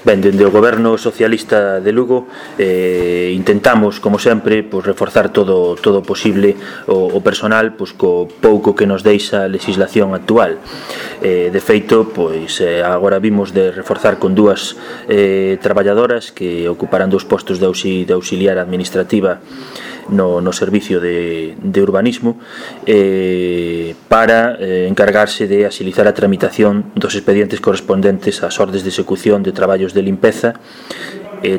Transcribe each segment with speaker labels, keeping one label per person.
Speaker 1: Ben, dende o Goberno Socialista de Lugo intentamos, como sempre, reforzar todo o posible o personal co pouco que nos deixa a legislación actual. De feito, agora vimos de reforzar con dúas traballadoras que ocuparán 2 postos de auxiliar administrativa no servicio de urbanismo para encargarse de axilizar a tramitación dos expedientes correspondentes ás ordes de execución de traballos de limpeza,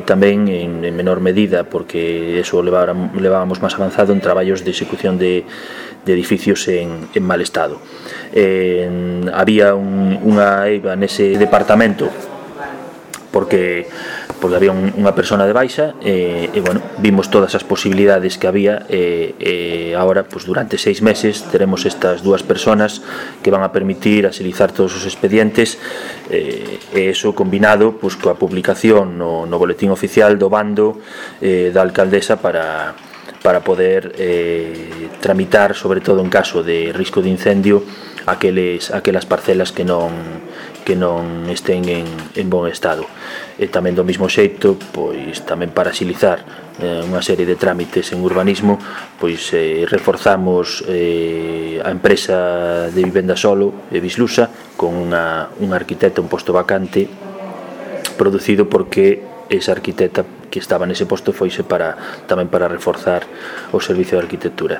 Speaker 1: tamén en menor medida, porque eso levábamos máis avanzado en traballos de execución de edificios en mal estado. Había unha eiva nese departamento porque había unha persona de baixa vimos todas as posibilidades que había agora, durante 6 meses teremos estas 2 personas que van a permitir axilizar todos os expedientes eso combinado coa publicación no boletín oficial do bando da alcaldesa para poder tramitar, sobre todo en caso de risco de incendio, aquelas parcelas que non estén en bon estado. E tamén do mesmo xeito, tamén para axilizar unha serie de trámites en urbanismo, reforzamos a empresa de vivenda solo, Vislusa, con unha arquitecta, un posto vacante producido porque esa arquitecta que estaba nese posto foise tamén para reforzar o servicio de arquitectura.